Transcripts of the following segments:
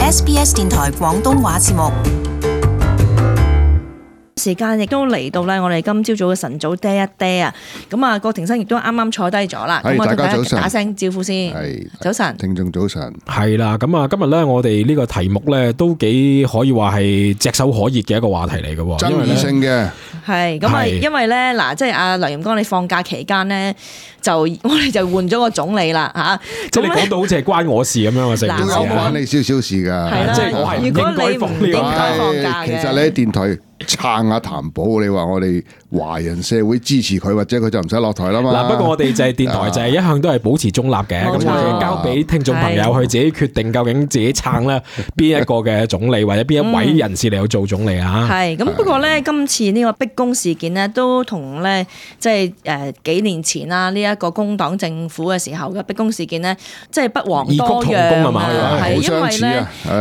SBS 電台廣東話節目。時間亦都嚟到咧，我哋今朝早嘅晨早嗲一嗲啊！咁啊，郭庭生亦都啱啱坐低咗啦。咁我同大家打聲招呼先。早晨，聽眾早晨。係啦，咁啊，今日咧我哋呢個題目咧都幾可以話係炙手可熱嘅一個話題嚟嘅，爭議性嘅。係咁啊，因為咧嗱，即係阿梁焱剛，你放假期間咧，我哋就換咗個總理啦嚇。即係你講到好似係關我事咁樣啊，成件事關你少少事㗎。係啦，即係我係如果你唔應該放假嘅。其實你喺電台撐下譚寶，你話我哋華人社會支持佢，或者佢就唔使落台啦嘛。嗱，不過我哋就係電台，就係一向都係保持中立嘅。咁我哋交俾聽眾朋友去自己決定，究竟自己撐咧邊一個嘅總理，或者邊一位人士嚟去做總理啊？係咁，不過咧，今次呢個逼宮事件呢，都同咧即係幾年前啦，呢一個工黨政府嘅時候嘅逼宮事件呢，即係不遑多讓啊！係因為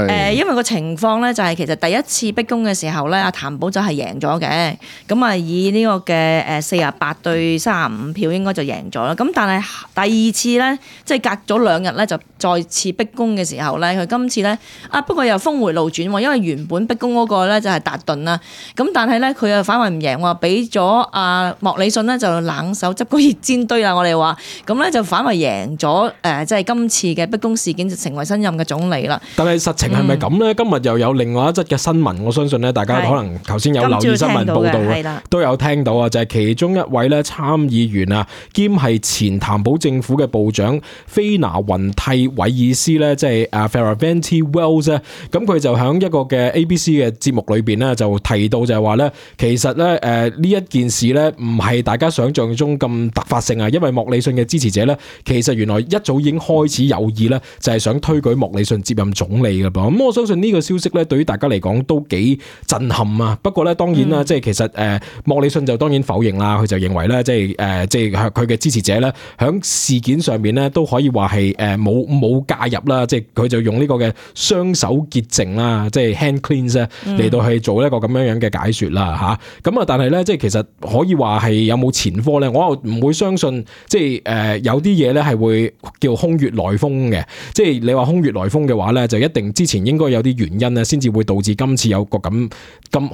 咧因為個情況咧就係其實第一次逼宮嘅時候咧，阿譚寶就係贏咗嘅，咁啊以呢個嘅48對35票應該就贏咗啦。咁但係第二次咧，即係隔咗2日咧，就再次逼宮嘅時候咧，佢今次咧不過又峰回路轉喎，因為原本逼宮嗰個咧就係達頓啦，咁但係咧佢又反為唔贏喎，俾咗阿莫理遜咧就冷手執個熱煎堆啦，我哋話咁咧就反為贏咗即係今次嘅逼宮事件就成為新任嘅總理啦。但係實情係咪咁咧？今日又有另外一則嘅新聞，我相信咧大家可能頭先有留意新聞報道都有聽到啊，就係其中一位咧參議員啊，兼係前譚寶政府嘅部長菲拿雲蒂韋爾斯咧，即係Fierravanti Wells 咧，咁佢就喺一個嘅 ABC 嘅節目裏邊咧就提到就係話咧，其實咧呢一件事咧唔係大家想象中咁突發性啊，因為莫理遜嘅支持者咧其實原來一早已經開始有意咧就係想推舉莫理遜接任總理㗎噃。咁我相信呢個消息咧對於大家嚟講都幾震撼啊。不過咧當然啦，即係其實莫理遜就當然否認啦，佢就認為咧即係佢嘅支持者咧響事件上面咧都可以話係冇介入啦，即係佢就用呢個嘅雙手潔淨啦，即係 hand cleanse 嚟到去做一個咁樣嘅解說啦嚇。咁啊，但係咧即係其實可以話係有冇前科咧？我又唔會相信，即係有啲嘢咧係會叫空穴來風嘅。即係你話空穴來風嘅話咧，就一定之前應該有啲原因咧，先至會導致今次有個咁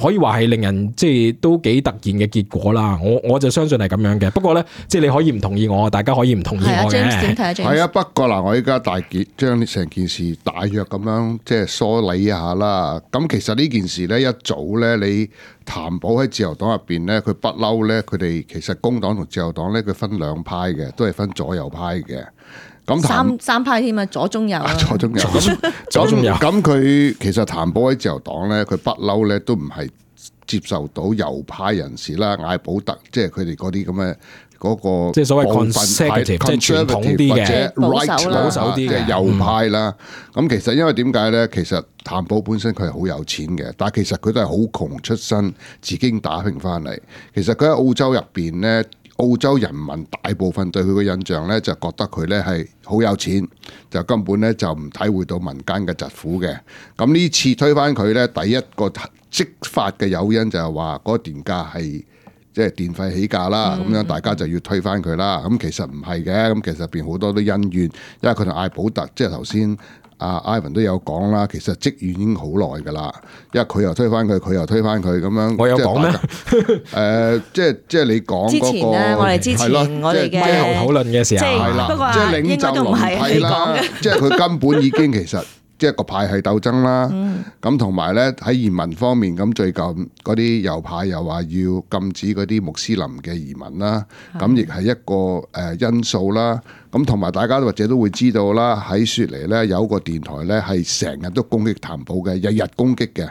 可以話係令人即係都幾突然嘅結果啦。我就相信係咁樣嘅。不過咧，即係你可以唔同意我，大家可以唔同意我嘅。係啊，不過嗱，我依家將成件事大約咁樣即係梳理一下啦。咁其實呢件事咧一早咧，你譚寶喺自由黨入邊咧，佢不嬲咧，佢哋其實工黨同自由黨咧，佢分兩派嘅，都係分左右派嘅。咁三派添啊，左中右左中右左中右。咁佢其實譚寶喺自由黨咧，佢不嬲咧都唔係接受到右派人士啦，艾保特即係佢哋嗰啲咁嘅嗰個即係所謂 conservative 即係傳統啲嘅保守啲嘅右派啦。咁其實因為點解咧？其實譚寶本身佢係好有錢嘅，但係其實佢都係好窮出身，自己打拼翻嚟。其實佢喺澳洲入邊咧，澳洲人民大部分對佢嘅印象咧，就覺得佢咧係好有錢，就根本咧就唔體會到民間嘅疾苦嘅。咁呢次推翻佢咧，第一個即發嘅誘因就係話嗰個電價係即係電費起價啦，咁樣大家就要推翻佢啦。咁其實唔係嘅，咁其實入邊好多都恩怨，因為佢同艾保特即係頭先阿 Ivan 都有講啦，其實積怨已經好耐噶啦，因為佢又推翻佢，佢又推翻佢咁樣。我有講咩？即係你講之前咧，我哋之前我哋嘅咪後討論嘅時候係啦，不過即係領袖輪替啦，即係佢根本已經其實。即係個派系鬥爭啦，咁同埋咧喺移民方面，咁最近嗰啲右派又話要禁止嗰啲穆斯林嘅移民啦，咁亦係一個因素啦。咁同埋大家或者都會知道啦，喺雪梨咧有個電台咧係成日都攻擊譚寶嘅，日日攻擊嘅，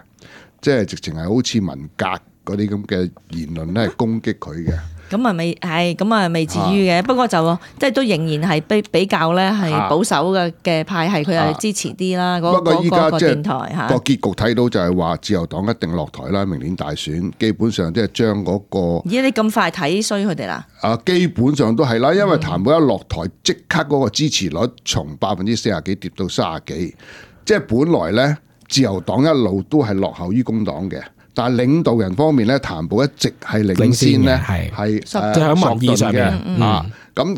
即係直情係好似文革嗰啲咁嘅言論咧係攻擊佢嘅。咁啊未係，咁啊未至於嘅，不過就即係都仍然係比較咧係保守嘅派系，佢係支持啲啦。不過依家即係個結局睇到就係話自由黨一定落台啦，明年大選基本上即係將嗰個。咦？你咁快睇衰佢哋啦？基本上都係啦，因為譚寶一落台，即刻嗰個支持率從40%幾跌到30幾，即係本來咧自由黨一路都係落後於工黨嘅。但係領導人方面咧，譚寶一直係領先咧，係即係喺民意上嘅咁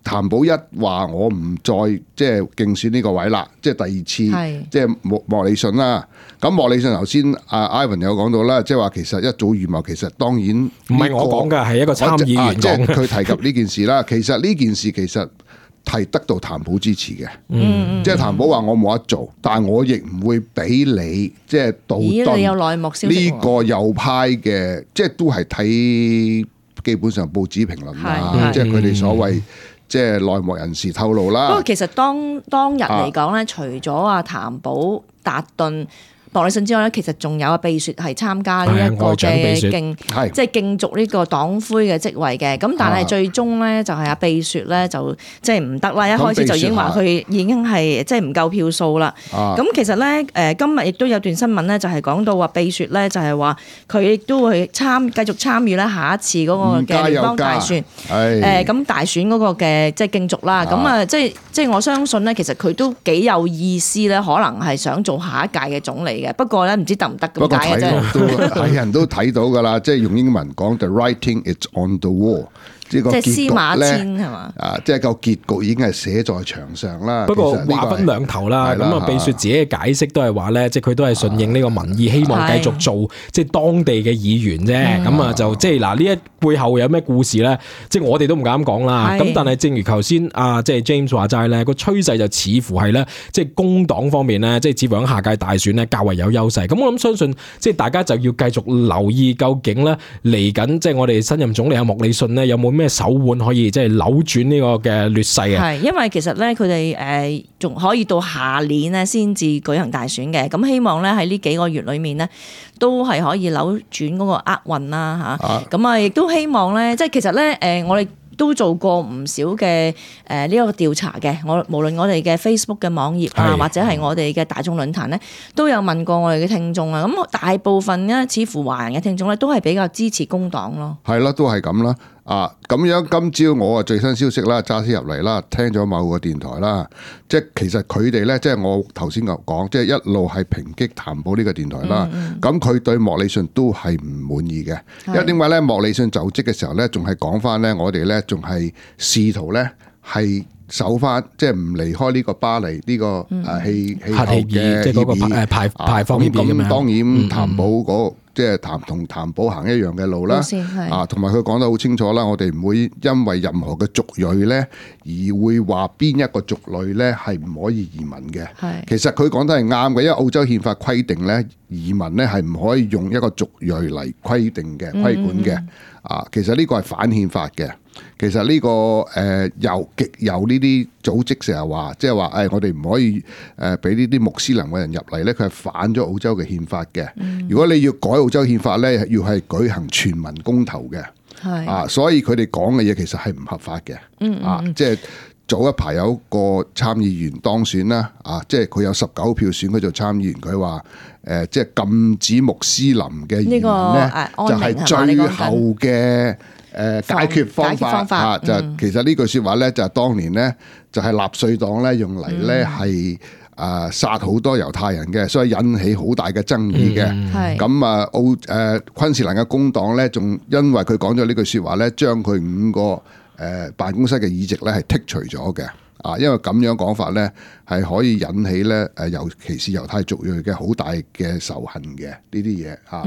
譚寶一話我唔再即係競選呢個位啦，即係第二次，即係莫理遜啦。咁莫理遜頭先阿 Ivan 有講到啦，即係話其實一早預謀，其實當然唔係我講㗎，係一個參議員即係佢提及呢件事啦。其實呢件事其實係得到譚寶支持嘅，即係譚寶話我冇得做，但係我亦唔會俾你即係杜頓呢個右派嘅，即係都係睇基本上報紙評論啦，即係佢哋所謂。即係內幕人士透露啦。不過其實當日嚟講咧，除咗阿譚寶、達頓、莫理遜之外咧，其實仲有秘書係參加呢一個嘅即係競逐呢個黨魁嘅職位嘅。咁但係最終咧就係阿秘書咧就即係唔得啦。一開始就已經話佢已經係即係唔夠票數啦。咁其實咧今日亦都有段新聞咧，就係講到話秘書咧就係話佢亦都會繼續參與咧下一次嗰個嘅聯邦大選。咁大選嗰個嘅即係競逐啦。咁即係我相信咧，其實佢都幾有意思咧，可能係想做下一屆嘅總理嘅。不過咧，唔知得唔得咁解嘅啫。係人都睇到㗎啦，即係用英文講 ，the writing is on the wall。即係司馬遷係嘛？即係個結局已經係寫在牆上啦。不過話分兩頭啦。咁啊，秘書自己嘅解釋都係話咧，即係佢都係順應呢個民意，希望繼續做即係當地嘅議員啫。咁啊，就即係嗱呢一背後有咩故事咧？即係我哋都唔敢講啦。咁但係正如頭先即係 James 話齋咧，個趨勢就似乎係咧，即係工黨方面咧，即係似乎喺下屆大選咧較為有優勢。咁我諗相信即係大家就要繼續留意究竟咧嚟緊即係我哋新任總理阿莫理遜咧有冇咩手腕可以即係扭轉呢個嘅劣勢啊？係，因為其實咧佢哋仲可以到下年咧先至舉行大選嘅，咁希望咧喺呢幾個月裏面咧都係可以扭轉嗰個厄運啦嚇。咁啊亦都希望咧，即係其實咧我哋都做過唔少嘅呢個調查嘅，無論我哋嘅 Facebook 嘅網頁啊，或者係我哋嘅大眾論壇咧，都有問過我哋嘅聽眾啊。咁大部分咧，似乎華人嘅聽眾咧，都係比較支持工黨咯。係啦，都係咁啦。咁樣今朝我最新消息啦，揸車入嚟啦，聽咗某個電台啦，即係其實佢哋咧，即係我頭先講，即係一路係抨擊譚寶呢個電台啦。咁佢對莫理遜都係唔滿意嘅，因為點解咧？莫理遜就職嘅時候咧，仲係講翻咧，我哋咧仲係試圖咧係守翻，即係唔離開呢個巴黎呢個氣候嘅即係嗰個排放協議咁樣。當然譚寶嗰即係同譚寶行一樣嘅路啦，同埋佢講得好清楚啦，我哋唔會因為任何嘅族裔咧而會話邊一個族類咧係唔可以移民嘅。其實佢講得係啱嘅，因為澳洲憲法規定咧移民咧係唔可以用一個族裔嚟規定嘅規管嘅。其實呢個係反憲法嘅。其實呢個極右呢啲組織成日話，即係話我哋唔可以俾呢啲穆斯林嘅人入嚟咧，佢係反咗澳洲嘅憲法嘅。如果你要改澳洲憲法咧，要係舉行全民公投嘅。所以佢哋講嘅嘢其實係唔合法嘅。即係早一排有一個參議員當選啦，即係佢有19票選佢做參議員，佢話即係禁止穆斯林嘅移民咧，就係最後嘅解決方法。就其實呢句説話咧，就係當年咧就係納粹黨咧用嚟咧係殺好多猶太人嘅，所以引起好大嘅爭議嘅。咁昆士蘭嘅工黨咧，仲因為佢講咗呢句説話咧，將佢5個辦公室嘅議席咧係剔除咗嘅。因為咁樣講法咧，係可以引起咧尤其是猶太族裔嘅好大嘅仇恨嘅呢啲嘢嚇。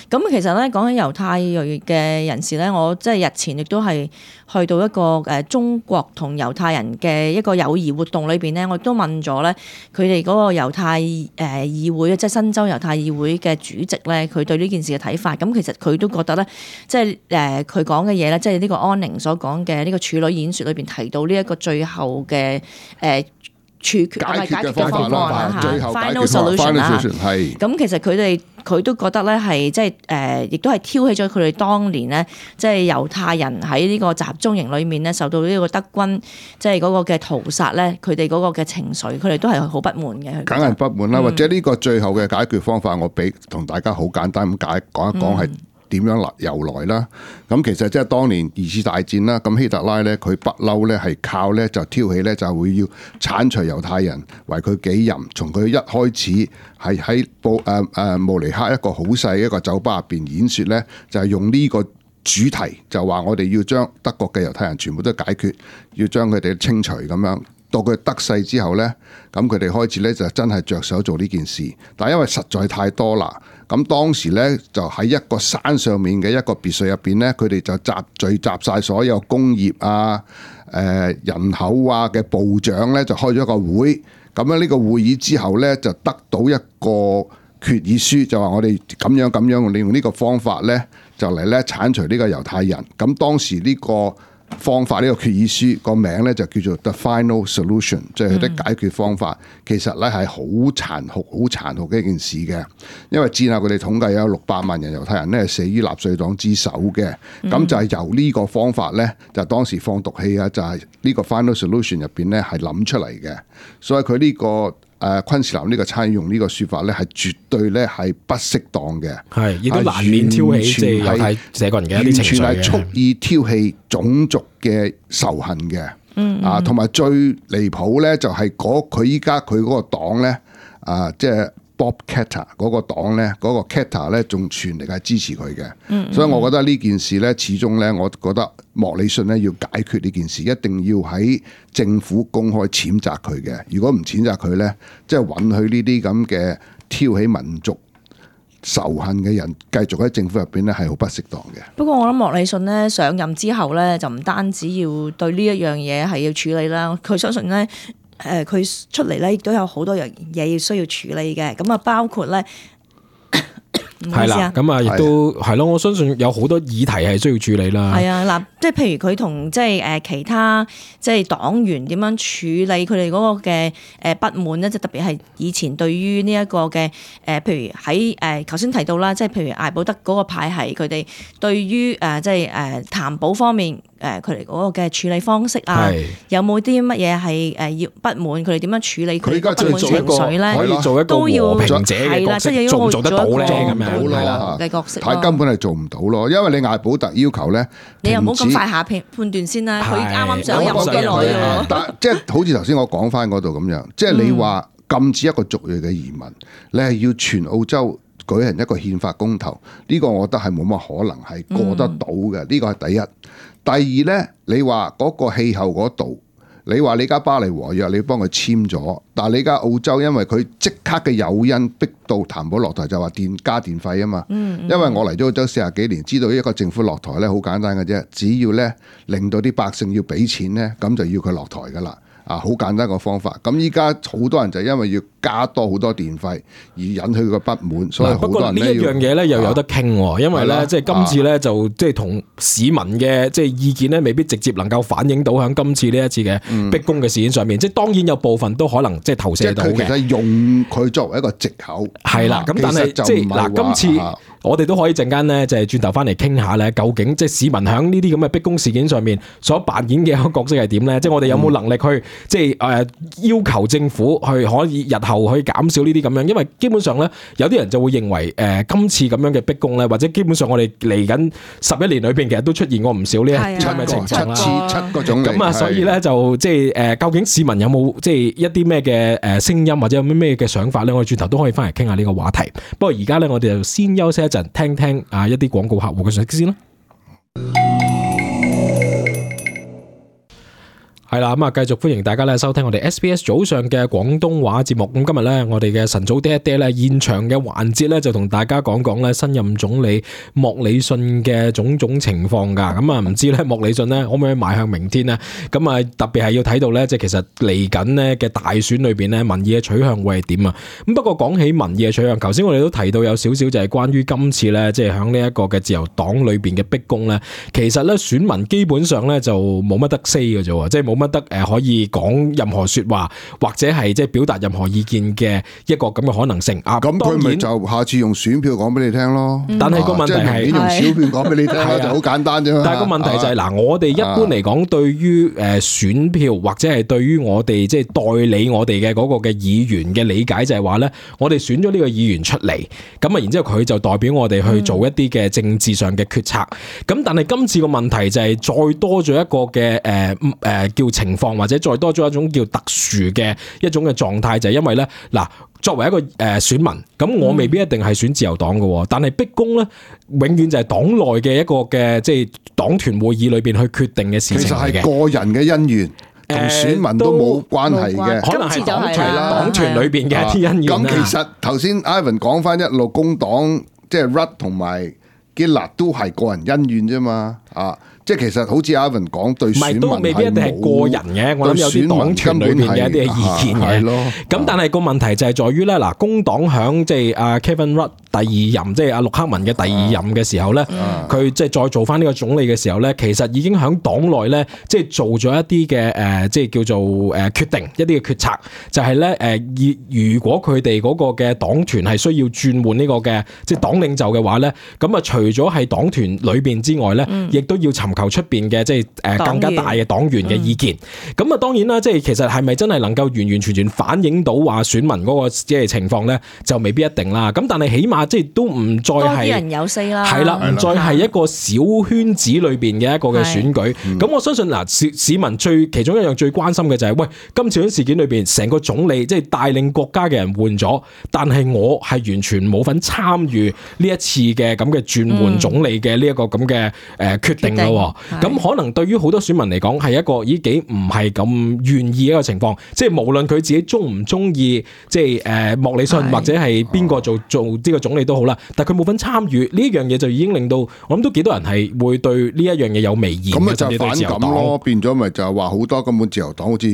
咁其實咧講起猶太裔嘅人士咧，我即係日前亦都係去到一個中國同猶太人嘅一個友誼活動裏邊咧，我亦都問咗咧佢哋嗰個猶太議會，即係新州猶太議會嘅主席咧，佢對呢件事嘅睇法。咁其實佢都覺得咧，即係佢講嘅嘢咧，即係呢個安寧所講嘅呢個處女演説裏邊提到呢一個最後嘅處決解決嘅方案啦嚇，final solution 啦。咁其實佢都覺得咧係即係亦都係挑起咗佢哋當年咧，即係猶太人喺呢個集中營裏面咧受到呢個德軍即係嗰個嘅屠殺咧，佢哋嗰個嘅情緒，佢哋都係好不滿嘅。梗係不滿啦，或者呢個最後嘅解決方法，我俾同大家好簡單咁講一講係點樣由來啦？咁其實即係當年二次大戰啦，咁希特拉咧佢不嬲咧係靠咧就挑起咧就會要剷除猶太人為佢己任，從佢一開始係喺慕尼黑一個好細一個酒吧入邊演説咧，就係用呢個主題，就話我哋要將德國嘅猶太人全部都解決，要將佢哋清除咁樣。到佢得勢之後呢，咁佢哋開始呢就真係着手做呢件事，但係因為實在太多啦，咁當時呢就喺一個山上面嘅一個別墅入邊呢，佢哋就聚集晒所有工業啊、人口啊嘅部長呢，就開咗一個會，咁樣呢個會議之後呢，就得到一個決議書，就話我哋咁樣利用呢個方法呢，就嚟呢剷除呢個猶太人，咁當時呢個方法，呢個決議書個名咧就叫做 The Final Solution， 即係佢啲解決方法。其實咧係好殘酷嘅一件事嘅，因為戰後佢哋統計有600萬人猶太人咧死於納粹黨之手嘅，咁就係由呢個方法咧，就當時放毒氣啊，就係呢個 Final Solution 入邊咧係諗出嚟嘅，所以佢呢個昆士蘭呢個參議用呢個説法咧，係絕對咧係不適當嘅，係亦都難免挑起即係猶太社國人嘅一啲情緒嘅，完全係蓄意挑起種族嘅仇恨嘅。同埋最離譜咧就係佢依家佢嗰個黨咧，即係 Bob Katter 嗰個黨咧，嗰個 Katter 咧仲全力係支持佢嘅，所以我覺得呢件事咧，始終咧，我覺得莫里遜咧要解決呢件事，一定要喺政府公開譴責佢嘅。如果唔譴責佢咧，即係允許呢啲咁嘅挑起民族仇恨嘅人繼續喺政府入邊咧，係好不適當嘅。不過我諗莫里遜咧上任之後咧，就唔單止要對呢一樣嘢係要處理啦，佢相信咧。佢出嚟咧，亦都有好多樣嘢要需要處理嘅，咁啊包括咧，係啦，咁啊亦都係咯，我相信有好多議題係需要處理啦。係啊，嗱，即係譬如佢同即係其他即係黨員點樣處理佢哋嗰個嘅不滿咧，即係特別係以前對於呢一個嘅譬如喺頭先提到啦，即係譬如艾保德嗰個派系，佢哋對於即係談保方面。佢哋嗰個嘅處理方式啊，有冇啲乜嘢係要不滿？佢哋點樣處理佢哋不滿情緒咧？可以做一個和平者嘅角色，做唔做得到咧？咁樣係啦嘅角色，係根本係做唔到咯。因為你艾保特要求咧，你又唔好咁快下判斷先啦。佢啱啱上任冇幾耐喎。但即係好似頭先我講翻嗰度咁樣，即係你話禁止一個族裔嘅移民，你係要全澳洲舉行一個憲法公投，呢個我覺得係冇乜可能係過得到嘅。呢個係第一。第二呢，你話嗰個氣候嗰度，你話你而家巴黎和約你幫佢簽咗，但係你而家澳洲因為佢即刻嘅誘因逼到譚寶落台，就話加電費啊嘛。因為我嚟咗澳洲40幾年，知道一個政府落台呢好簡單嘅啫，只要呢令到啲百姓要俾錢呢，咁就要佢落台噶啦。好簡單個方法。咁依家好多人就因為要加多好多電費而引起佢個不滿，所以好多人呢樣嘢咧又有得傾喎，因為咧即係今次咧就即係同市民嘅即係意見咧未必直接能夠反映到喺今次呢一次嘅逼宮嘅事件上面，即係當然有部分都可能即係投射到嘅。即係佢其實用佢作為一個藉口，係啦。咁但係即係嗱，今次我哋都可以陣間咧就係轉頭翻嚟傾下咧，究竟即係市民喺呢啲咁嘅逼宮事件上面所扮演嘅一個角色係點咧？即係我哋有冇能力去即係要求政府去可以日後去減少呢啲咁樣，因為基本上咧有啲人就會認為今次咁樣嘅逼宮咧，或者基本上我哋嚟緊11年裏邊其實都出現過唔少呢一啲咁嘅情況啦，七個種類咁啊，所以咧就即係究竟市民有冇即係一啲咩嘅聲音或者有咩嘅想法咧？我哋轉頭都可以翻嚟傾下呢個話題。不過而家咧我哋就先休息一陣，聽聽一啲廣告客戶嘅信息先啦。係啦，咁啊，繼續歡迎大家咧收聽我哋 SBS 早上嘅廣東話節目。咁今日咧，我哋嘅晨早爹爹咧現場嘅環節咧，就同大家講講咧新任總理莫里遜嘅種種情況噶。咁啊，唔知咧莫里遜咧可唔可以邁向明天呢？咁啊，特別係要睇到咧，即係其實嚟緊呢嘅大選裏邊咧，民意嘅取向會係點啊？咁不過講起民意嘅取向，頭先我哋都提到有少少就係關於今次咧，即係響呢一個嘅自由黨裏邊嘅逼宮咧，其實咧選民基本上咧就冇乜得 say 嘅啫，即係冇乜得可以講任何說話或者係即係表達任何意見嘅一個咁嘅可能性啊。咁佢咪就下次用選票講俾你聽咯。但係個問題係用小票講俾你聽就好簡單啫。但係個問題就係嗱，我哋一般嚟講對於選票或者係對於我哋即係代理我哋嘅嗰個嘅議員嘅理解就係話咧，我哋選咗呢個議員出嚟，咁啊然之後佢就代表我哋去做一啲嘅政治上嘅決策。咁但係今次個問題就係再多咗一個嘅叫叫情況，或者再多咗一種叫特殊嘅一種嘅狀態，就係因為咧嗱。作為一個選民，咁我未必一定係選自由黨嘅，但係逼宮咧，永遠就係黨內嘅一個嘅即係黨團會議裏邊去決定嘅事情嚟嘅。其實係個人嘅恩怨，同選民都冇關係嘅，可能係黨團啦，黨團裏邊嘅一啲恩怨。咁其實頭先 Ivan 講翻一路工黨，即係 Rudd 同埋 Gillard 都係個人恩怨啫嘛，即係其實好似 Ivan 講對選民都未必一定係個人嘅，我諗有啲黨團裏邊嘅一啲意見嘅。咁但係個問題就係在於咧，嗱，工黨響即係阿 Kevin Rudd 第二任，即係阿陸克文嘅第二任嘅時候咧，佢即係再做翻呢個總理嘅時候咧，其實已經響黨內咧，即係做咗一啲嘅即係叫做決定一啲嘅決策，就係咧如果佢哋嗰個嘅黨團係需要轉換呢個嘅即係黨領袖嘅話咧，咁啊除咗係黨團裏邊之外咧，亦都要尋求出邊嘅即係更加大嘅黨員嘅意見。咁啊當然啦，即係其實係咪真係能夠完完全全反映到話選民嗰個即係情況咧，就未必一定啦。咁但係起碼即係都唔再係多啲人有聲啦，係啦，唔再係一個小圈子裏邊嘅一個嘅選舉。咁我相信嗱，市民其中一樣最關心嘅就係，喂，今次喺事件裏邊，成個總理即係帶領國家嘅人換咗，但係我係完全冇份參與呢一次嘅咁嘅轉換總理嘅呢一個咁嘅決定咯。咁可能對於好多選民嚟講係一個幾唔係咁願意一個情況，即係無論佢自己中唔中意，即係莫里遜或者係邊個做呢個總理都好啦，但係佢冇份參與呢樣嘢，就已經令到我諗都幾多人係會對呢一樣嘢有微言。咁咪就反感咯，變咗咪就係話好多根本自由黨好似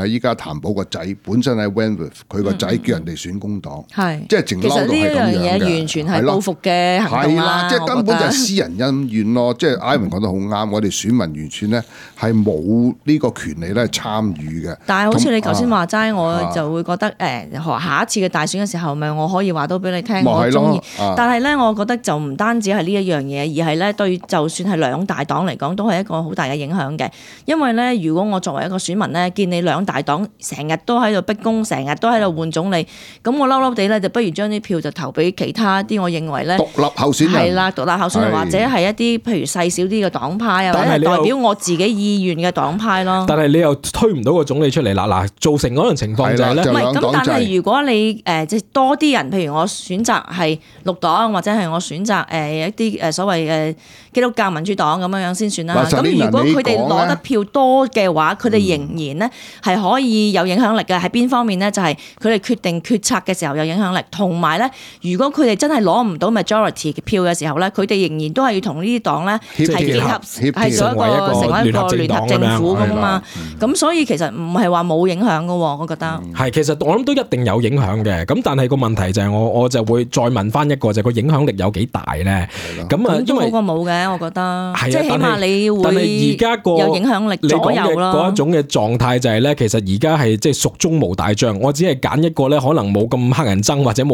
依家譚寶個仔本身喺 Wentworth， 佢個仔叫人哋選工黨，即係淨嬲到係咁樣嘅。其實呢樣嘢完全係報復嘅行動啦，即係根本就係私人恩怨咯。即係 Ivan 講得好啱，我哋選民完全咧係冇呢個權利咧參與嘅。但係好似你頭先話齋，我就會覺得下一次嘅大選嘅時候，咪我可以話到俾你聽，我中意。但係咧，我覺得就唔單止係呢一樣嘢，而係咧對就算係兩大黨嚟講，都係一個好大嘅影響嘅。因為咧，如果我作為一個選民咧，見你兩大黨成日都喺度逼宮，成日都喺度換總理，咁我嬲嬲地咧，就不如將啲票就投俾其他啲我認為咧獨立候選人係啦，獨立候選人或者係一啲譬如細小啲嘅黨派啊，或者係代表我自己意願嘅黨派咯。但係你又推唔到個總理出嚟啦，嗱，造成嗰樣情況就係咧，唔係咁。但係如果你即係多啲人，譬如我選擇係綠黨，或者係我選擇一啲所謂嘅基督教民主黨咁樣先算啦。咁如果佢哋攞得票多嘅話，佢哋仍然咧係可以有影響力嘅。喺邊方面咧？就係佢哋決定決策嘅時候有影響力，同埋咧，如果佢哋真係攞唔到 majority 嘅票嘅時候咧，佢哋仍然都係要同呢啲黨咧係結合，係做成為一個聯合政府咁啊嘛。咁所以其實唔係話冇影響嘅，我覺得係。其實我諗都一定有影響嘅。咁但係個問題就係我就會再問翻一個，就係個影響力有幾大咧？咁啊，都好過冇嘅，我覺得。即係起碼你會有影響力左右咯。嗰一種嘅狀態就係咧，其實而家係即係蜀中無大將，我只係揀一個咧，可能冇咁黑人憎或者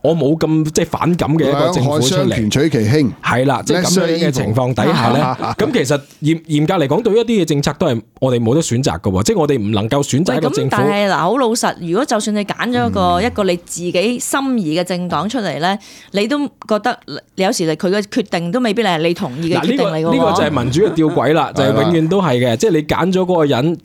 我冇咁即係反感嘅一個政府出嚟。兩害相權取其輕，係啦，即係咁樣嘅情況底下咧，咁其實嚴格嚟講，對於一啲嘅政策都係我哋冇得選擇嘅喎，即係我哋唔能夠選擇一個政府。但係嗱，好老實，如果就算你揀咗一個你自己心儀嘅政黨出嚟咧，你都覺得有時佢嘅決定都未必係你同意嘅決定嚟嘅。呢個就係民主嘅吊詭啦，就係永遠都係嘅，即係你揀咗嗰個人，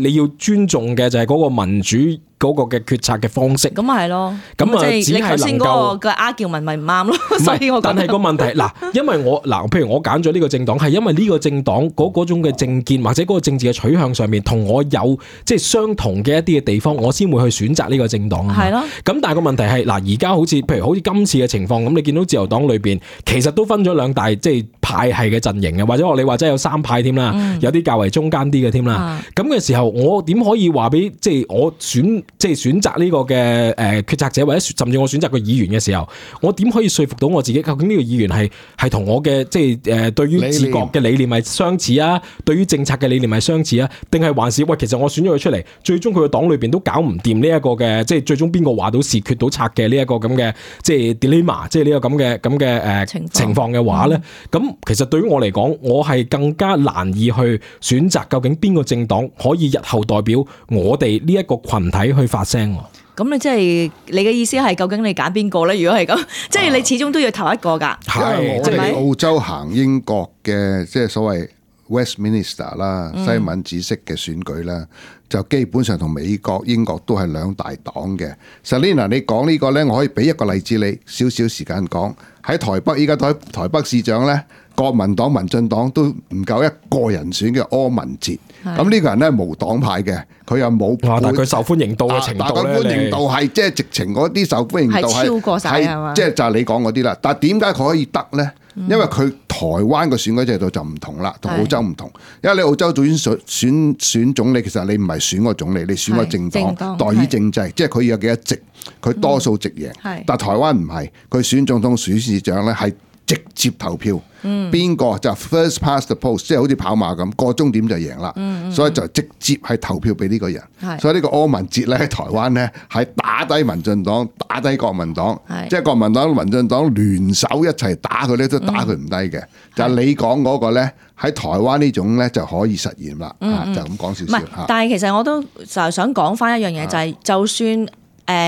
你要尊重嘅就係嗰個民主嗰個嘅決策嘅方式。咁咪係咯，咁啊，即係你頭先嗰個嘅argument咪唔啱咯。所以我但係個問題嗱，因為譬如我揀咗呢個政黨，係因為呢個政黨嗰種嘅政見或者嗰個政治嘅取向上面同我有即係相同嘅一啲嘅地方，我先會去選擇呢個政黨。係咯。咁但係個問題係嗱，而家好似今次嘅情況咁，你見到自由黨裏邊其實都分咗兩大即係派系嘅陣營嘅，或者你話真係有三派添啦，有啲較為中間啲嘅添啦。咁嘅時候，我點可以話俾即係我選擇呢個嘅決策者，或者甚至我選擇個議員嘅時候，我點可以說服到我自己？究竟呢個議員係同我嘅即係對於治國嘅理念係相似啊？對於政策嘅理念係相似啊？定係還是喂，其實我選咗佢出嚟，最終佢個黨裏邊都搞唔掂呢一個嘅，即係最終邊個話到事決到策嘅呢一個咁嘅即係 dilemma， 即係呢個咁嘅情況嘅話咧，咁其實對於我嚟講，我係更加難以去選擇究竟邊個政黨可以日後代表我哋呢一個群體去發聲。咁你即係你嘅意思係究竟你揀邊個咧？如果係咁，即係你始終都要投一個㗎。係，即係澳洲行英國嘅即係所謂 Westminster 啦，西敏寺式嘅選舉啦，就基本上同美國、英國都係兩大黨嘅。Selina， 你講呢個呢，我可以俾一個例子你，少少時間講。喺台北依家台北市長呢，國民黨、民進黨都唔夠一個人選嘅柯文哲。咁呢個人呢，無黨派嘅，佢又冇。但係佢受歡迎度嘅程度咧，但係佢歡迎度係即係直情嗰啲受歡迎度係超過晒係嘛？即係就係你講嗰啲啦。但係點解佢可以得呢？因為佢台灣嘅選舉制度就唔同啦，同澳洲唔同。因為你澳洲選總理，其實你唔係選個總理，你選個政黨代議政制，即係佢有幾多席，佢多數席贏。但係台灣唔係，佢選總統、選市長咧係直接投票，邊個就 first past the post， 即係好似跑馬咁，過終點就贏啦。所以就直接係投票俾呢個人。所以呢個柯文哲咧喺台灣咧係打低民進黨，打低國民黨，即係國民黨、民進黨聯手一齊打佢咧，都打佢唔低嘅。就係你講嗰個咧喺台灣呢種咧就可以實現啦。就咁講少少。但係其實我都就係想講翻一樣嘢，就係就算。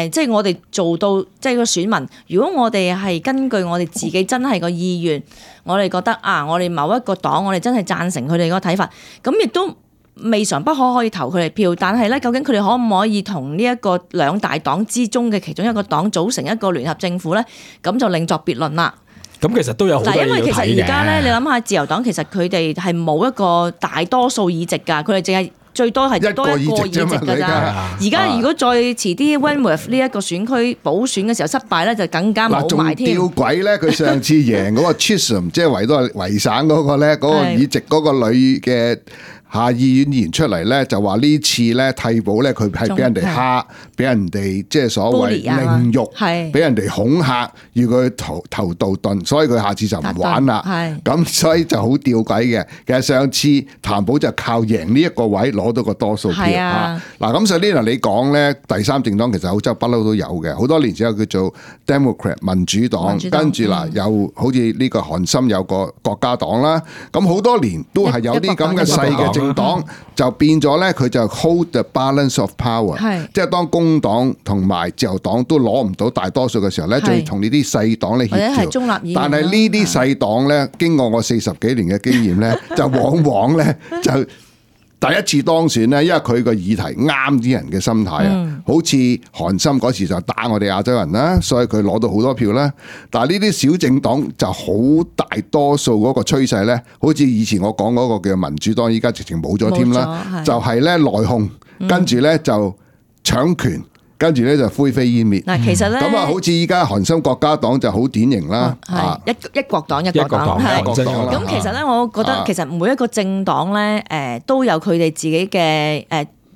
即係我哋做到即係個選民，如果我哋係根據我哋自己真係個意願，我哋覺得我哋某一個黨，我哋真係贊成佢哋嗰個睇法，咁亦都未嘗不可以投佢哋票。但係咧，究竟佢哋可唔可以同呢一個兩大黨之中嘅其中一個黨組成一個聯合政府咧？咁就另作別論啦。咁其實都有好多嘢要睇嘅。因為其實而家咧，你諗下自由黨其實佢哋係冇一個大多數議席㗎，佢哋淨係。最多係多一個議席㗎咋。而家如果再遲啲 Wentworth 呢一個選區補選嘅時候失敗咧，就更加冇埋添。仲吊詭咧，佢上次贏嗰個 Chisholm 即係維省嗰個咧，嗰個議席嗰個女嘅下議院議員出嚟咧，就話呢次咧替補咧，佢係俾人哋蝦，俾人哋即係所謂凌辱，俾人哋恐嚇，要佢投道頓，所以佢下次就唔玩啦。咁所以就好吊詭嘅。其實上次譚寶就靠贏呢一個位攞到個多數票。嗱咁所以呢，你講咧第三政黨其實澳洲不嬲都有嘅，好多年之後叫做 Democrat 民主黨，跟住嗱又好似呢個韓森有個國家黨啦，咁好多年都係有啲咁嘅細嘅政黨就變咗咧，佢就 hold the balance of power，即係當工黨同埋自由黨都攞唔到大多數嘅時候咧，就要同呢啲細黨咧協調。但係呢啲細黨咧，經過我40幾年嘅經驗咧，就往往咧就第一次當選咧，因為佢個議題啱啲人嘅心態啊，好似韓森嗰時就打我哋亞洲人啦，所以佢攞到好多票啦。但係呢啲小政黨就好大多數嗰個趨勢咧，好似以前我講嗰個叫民主黨，依家直情冇咗添啦，就係咧內訌，跟住咧就搶權。跟住咧就灰飛煙滅。嗱，其實咧咁啊，好似依家韓森國家黨就好典型啦，一國黨一國黨。咁其實咧，我覺得其實每一個政黨咧，都有佢哋自己嘅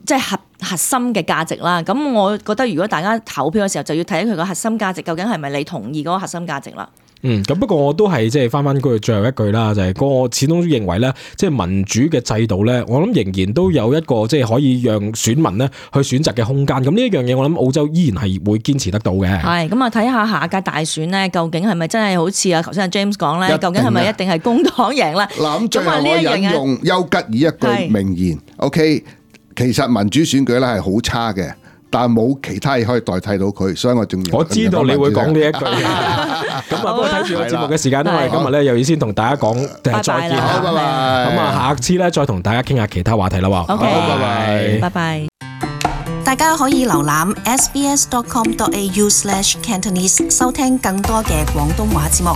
即係核心嘅價值啦。咁我覺得如果大家投票嘅時候，就要睇佢個核心價值究竟係咪你同意嗰個核心價值啦。咁不過我都係即係翻句最後一句啦，就係我始終認為咧，即係民主嘅制度咧，我諗仍然都有一個即係可以讓選民咧去選擇嘅空間。咁呢一樣嘢，我諗澳洲依然係會堅持得到嘅。係咁啊，睇下下屆大選咧，究竟係咪真係好似頭先阿 James 講咧？究竟係咪一定係工黨贏咧？嗱，咁最後我引用丘吉爾一句名言 ，OK， 其實民主選舉咧係好差嘅。但係冇其他嘢可以代替到佢，所以我仲要。我知道你會講呢一句。咁啊，不過睇住個節目嘅時間，因為今日咧又要先同大家講再見啦，拜拜。咁啊，下次咧再同大家傾下其他話題啦喎。好，拜拜，拜拜。大家可以瀏覽 sbs.com.au/Cantonese 收聽更多嘅廣東話節目。